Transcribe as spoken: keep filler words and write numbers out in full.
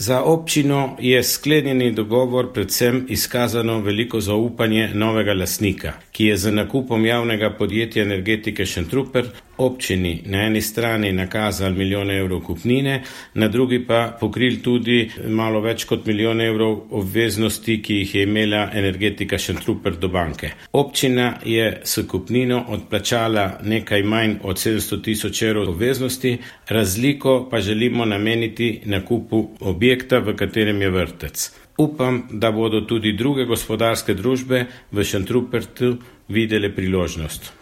Za občino je sklenjeni dogovor predvsem izkazano veliko zaupanje novega lastnika, ki je z nakupom javnega podjetja Energetike Šentrupert občini na eni strani nakazal milijon evrov kupnine, na drugi pa pokril tudi malo več kot milijon evrov obveznosti, ki jih je imela Energetika Šentrupert do banke. Občina je s kupnino odplačala nekaj manj od sedemsto tisoč evrov obveznosti, razliko pa želimo nameniti nakupu objekta, v katerem je vrtec. Upam, da bodo tudi druge gospodarske družbe v Šentrupertu videle priložnost.